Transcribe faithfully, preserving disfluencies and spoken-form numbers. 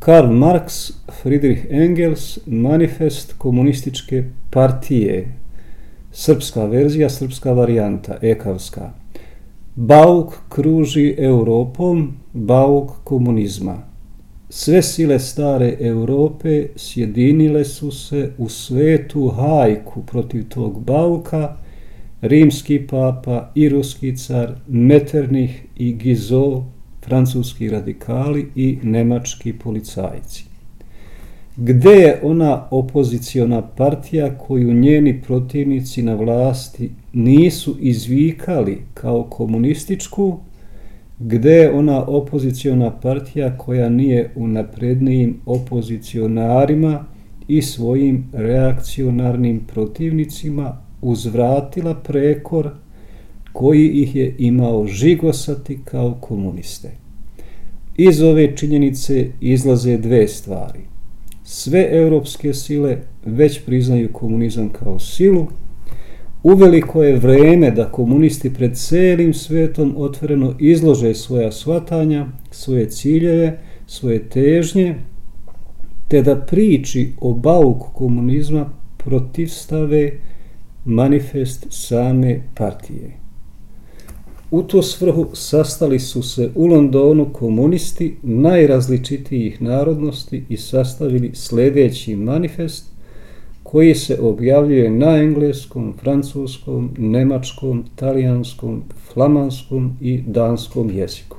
Karl Marx, Friedrich Engels, Manifest komunističke partije, srpska verzija, srpska varijanta, ekavska. Bauk kruži Europom, bauk komunizma. Sve sile stare Europe sjedinile su se u svetu hajku protiv tog bauka, rimski papa i ruski car, Metternich i Guizot, francuski radikali i nemački policajci. Gde je ona opoziciona partija koju njeni protivnici na vlasti nisu izvikali kao komunističku? Gde je ona opoziciona partija koja nije u naprednijim opozicionarima i svojim reakcionarnim protivnicima uzvratila prekor koji ih je imao žigosati kao komuniste? Iz ove činjenice izlaze dve stvari. Sve europske sile već priznaju komunizam kao silu. Uveliko je vreme da komunisti pred celim svetom otvoreno izlože svoja shvatanja, svoje ciljeve, svoje težnje, te da priči o bauku komunizma protivstave manifest same partije. U tu svrhu sastali su se u Londonu komunisti najrazličitijih narodnosti i sastavili sljedeći manifest koji se objavljuje na engleskom, francuskom, nemačkom, talijanskom, flamanskom i danskom jeziku.